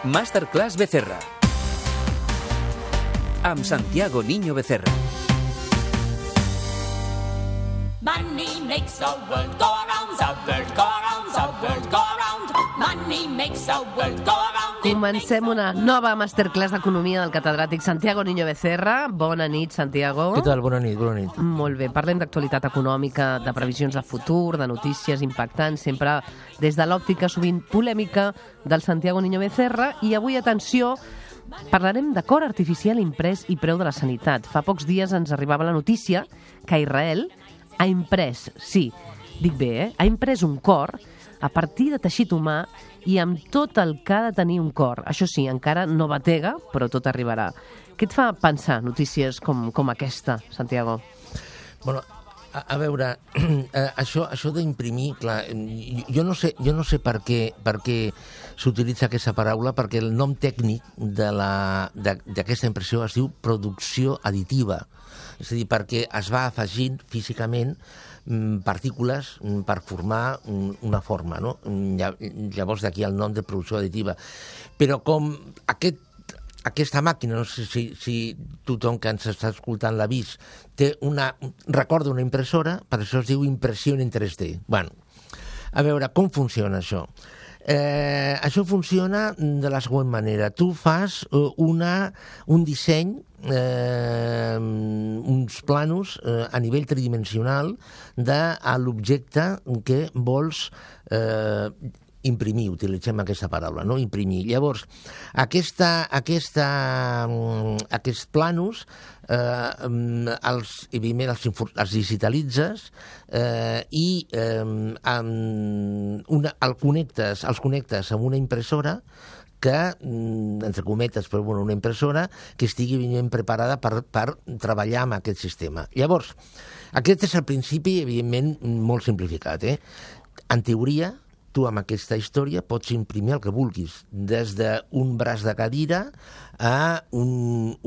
Masterclass Becerra, amb Santiago Niño Becerra. Money makes the world go around, the world go around, the world go around. Money makes the world go around. Comencem una nova masterclass d'economia del catedràtic Santiago Niño Becerra. Bona nit, Santiago. Què tal? Bona nit, bona nit. Molt bé, parlem d'actualitat econòmica, de previsions de futur, de notícies impactants, sempre des de l'òptica sovint polèmica del Santiago Niño Becerra. I avui, atenció, parlarem de cor artificial imprès i preu de la sanitat. Fa pocs dies ens arribava la notícia que Israel ha imprès, sí, dic bé, ha imprès un cor a partir de teixit humà i amb tot el que ha de tenir un cor. Això sí, encara no batega, però tot arribarà. Què et fa pensar notícies com aquesta, Santiago? Bueno, a veure, això d'imprimir, clar, jo no sé per què s'utilitza aquesta paraula, perquè el nom tècnic d'aquesta impressió es diu producció additiva. És a dir, perquè es va afegint físicament partícules per formar una forma, no? Llavors d'aquí el nom de producció additiva. Però com aquesta màquina, no sé si tothom que ens està escoltant l'ha vist, recorda una impressora, per això es diu impressió en 3D. Bueno, a veure, com funciona això? Això funciona de la següent manera. Tu fas un disseny, uns planos a nivell tridimensional de l'objecte que vols imprimir, utilitzem aquesta paraula, no? Imprimir. Llavors, aquests planos els digitalitzes i els connectes amb una impressora que, entre cometes, però bueno, una impressora que estigui ben preparada per treballar amb aquest sistema. Llavors, aquest és el principi, evidentment, molt simplificat. En teoria, tu amb aquesta història pots imprimir el que vulguis, des d'un braç de cadira a un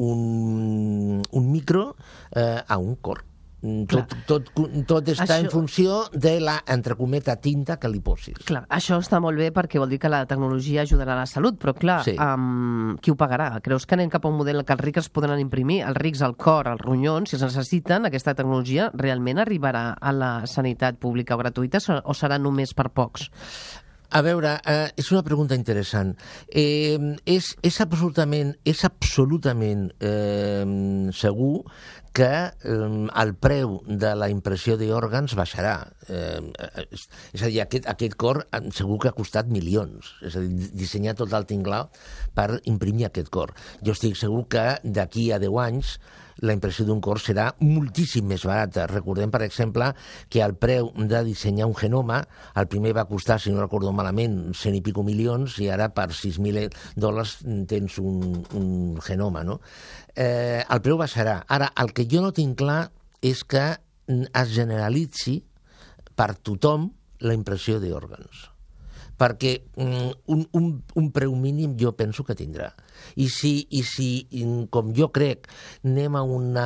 micro a un cor. Tot està en funció de la, entre cometa, tinta que li posis. Clar, això està molt bé perquè vol dir que la tecnologia ajudarà a la salut, però clar, sí. Qui ho pagarà? Creus que anem cap a un model que els rics podran imprimir, els rics al cor, als ronyons, si es necessiten, aquesta tecnologia realment arribarà a la sanitat pública o gratuïta o serà només per pocs? A veure, és una pregunta interessant. És absolutament segur que el preu de la impressió d'òrgans baixarà. És a dir, aquest cor segur que ha costat milions. És a dir, dissenyar tot el tinglao per imprimir aquest cor. Jo estic segur que d'aquí a 10 anys la impressió d'un cor serà moltíssim més barata. Recordem, per exemple, que el preu de dissenyar un genoma, el primer va costar, si no recordo malament, 100 i pico milions, i ara per $6.000 tens un genoma, no? El preu baixarà. Ara, el que jo no tinc clar és que es generalitzi per tothom la impressió d'òrgans. Perquè un preu mínim jo penso que tindrà. I si com jo crec, anem a un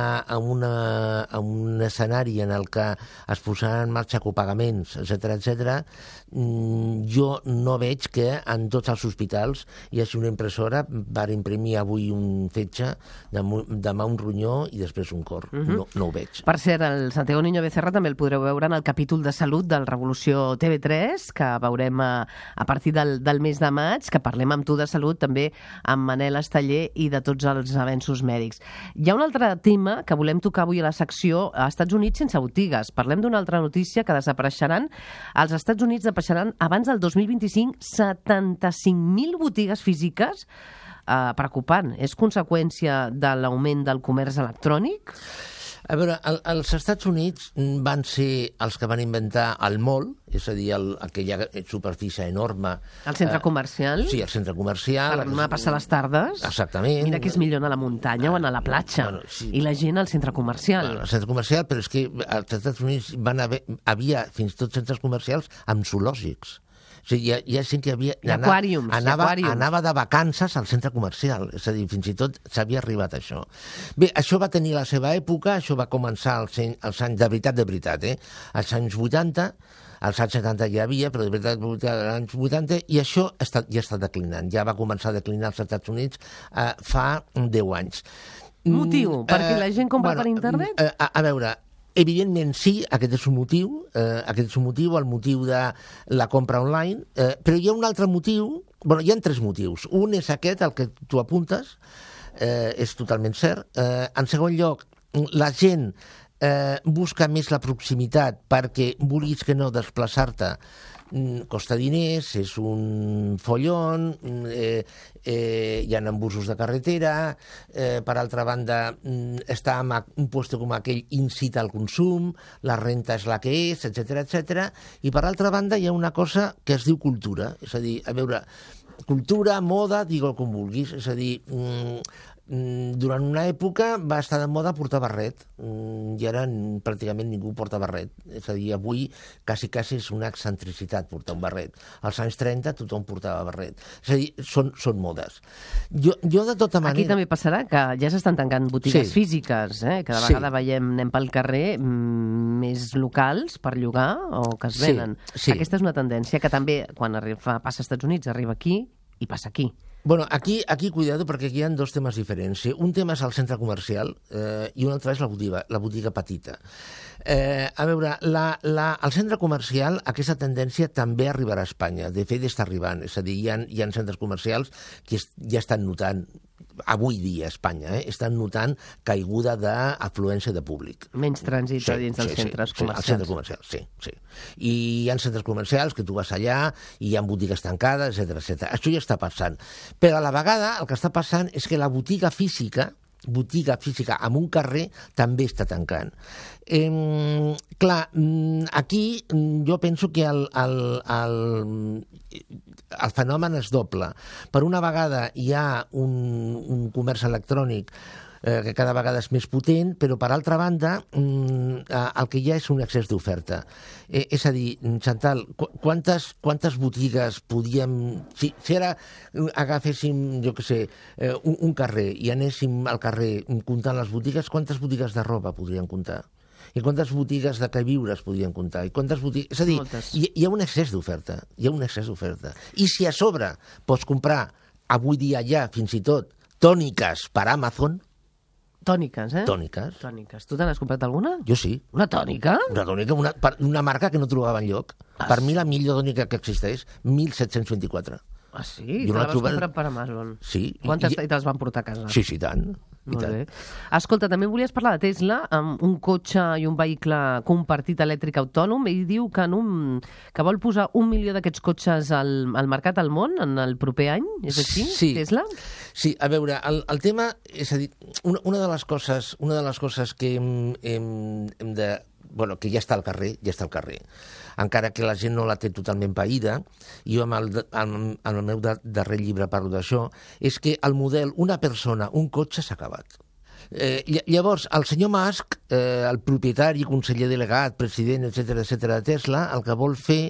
escenari en el que es posaran en marxa copagaments, etc., jo no veig que en tots els hospitals hi hagi una impressora per imprimir avui un fetge, demà un ronyó i després un cor. No ho veig. Per cert, el Santiago Niño Becerra també el podreu veure en el capítol de salut del Revolució TV3, que veurem a partir del mes de maig, que parlem amb tu de salut, també amb Manel Esteller i de tots els avenços mèdics. Hi ha un altre tema que volem tocar avui a la secció, als Estats Units sense botigues. Parlem d'una altra notícia que desapareixeran. Als Estats Units desapareixeran abans del 2025 75.000 botigues físiques. Preocupant. És conseqüència de l'augment del comerç electrònic? A veure, els Estats Units van ser els que van inventar el mall, és a dir, aquella superfície enorme. El centre comercial? Sí, el centre comercial. Per anar a passar les tardes? Exactament. Mira que és millor anar a la muntanya o anar a la platja. Bueno, sí. I la gent al centre comercial. Bueno, al centre comercial, però és que als Estats Units havia fins i tot centres comercials amb zoològics. O sigui, hi ha gent que anava de vacances al centre comercial, és a dir, fins i tot s'havia arribat a això. Bé, això va tenir la seva època, això va començar als anys, de veritat, als anys 80, als anys 70 ja hi havia, però de veritat als anys 80, i això ja està declinant. Ja va començar a declinar als Estats Units fa 10 anys. Motiu? Perquè la gent compra per internet? A veure, evidentment sí, aquest és un motiu, el motiu de la compra online, però hi ha un altre motiu, hi ha 3 motius. Un és aquest, el que tu apuntes, és totalment cert. En segon lloc, la gent busca més la proximitat perquè, vulguis que no, desplaçar-te costa diners, és un follon, hi ha embussos de carretera, per altra banda, estar en un lloc com aquell incita al consum, la renta és la que és, etc. I per altra banda hi ha una cosa que es diu cultura, és a dir, a veure, cultura, moda, digue-ho com vulguis, és a dir, durant una època va estar de moda portar barret i ara pràcticament ningú porta barret, és a dir, avui quasi és una excentricitat portar un barret. Als anys 30 tothom portava barret, és a dir, són modes. Jo de tota manera... Aquí també passarà que ja s'estan tancant botigues físiques, cada vegada anem pel carrer més locals per llogar o que es venen. Aquesta és una tendència que també quan passa als Estats Units arriba aquí i passa aquí. Bueno, aquí cuidado, perquè aquí hi ha 2 temes diferents. Un tema és el centre comercial i un altre és la botiga petita. A veure, al centre comercial aquesta tendència també arribarà a Espanya. De fet, està arribant. És a dir, hi ha centres comercials que ja estan notant, avui dia a Espanya, estan notant caiguda d'afluència de públic. Menys trànsit dins dels centres comercials. Els centres comercials, sí. I hi ha centres comercials que tu vas allà i hi ha botigues tancades, etc. Això ja està passant. Però a la vegada el que està passant és que la botiga física en un carrer també està tancant. Clar, aquí jo penso que el fenomen és doble. Per una vegada hi ha un comerç electrònic que cada vegada és més potent, però per altra banda el que hi ha és un excés d'oferta. És a dir, Chantal, quantes botigues podíem... Si ara agaféssim, jo què sé, un carrer i anéssim al carrer comptant les botigues, quantes botigues de roba podríem comptar? I quantes botigues de queviures podien comptar? I quantes botigues... És a dir, hi ha un excés d'oferta. I si a sobre pots comprar, avui dia ja, fins i tot, tòniques per Amazon... Tòniques, eh? Tòniques. Tu te n'has comprat alguna? Jo sí. Una tònica? Una tònica, una marca que no trobava enlloc. Per mi la millor tònica que existeix, 1724. Ah, sí? Te la vas comprar per Amazon? Sí. Quantes te les van portar a casa? Sí, tant. Molt bé. Escolta, també volies parlar de Tesla, amb un cotxe i un vehicle compartit elèctric autònom. Ell diu que vol posar 1 milió d'aquests cotxes al mercat al món en el proper any. És així, Tesla? Sí, a veure, el tema, és a dir, una de les coses que hem de... Bueno, que ja està al carrer, encara que la gent no la té totalment païda, i jo amb el meu darrer llibre parlo d'això, és que el model una persona, un cotxe s'ha acabat. Llavors, el senyor Musk, el propietari, conseller delegat, president, etc de Tesla, el que vol fer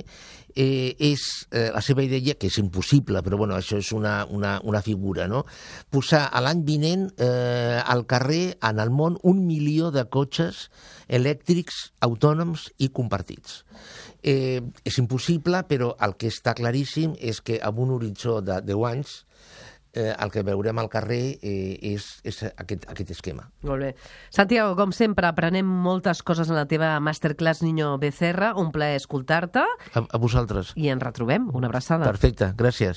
és la seva idea, que és impossible, però bueno, això és una figura, no? Posar a l'any vinent al carrer, en el món, 1 milió de cotxes elèctrics, autònoms i compartits. És impossible, però el que està claríssim és que amb un horitzó de 10 anys el que veurem al carrer és aquest esquema. Molt bé. Santiago, com sempre, aprenem moltes coses en la teva Masterclass Niño Becerra. Un plaer escoltar-te. A vosaltres. I ens retrobem. Una abraçada. Perfecte, gràcies.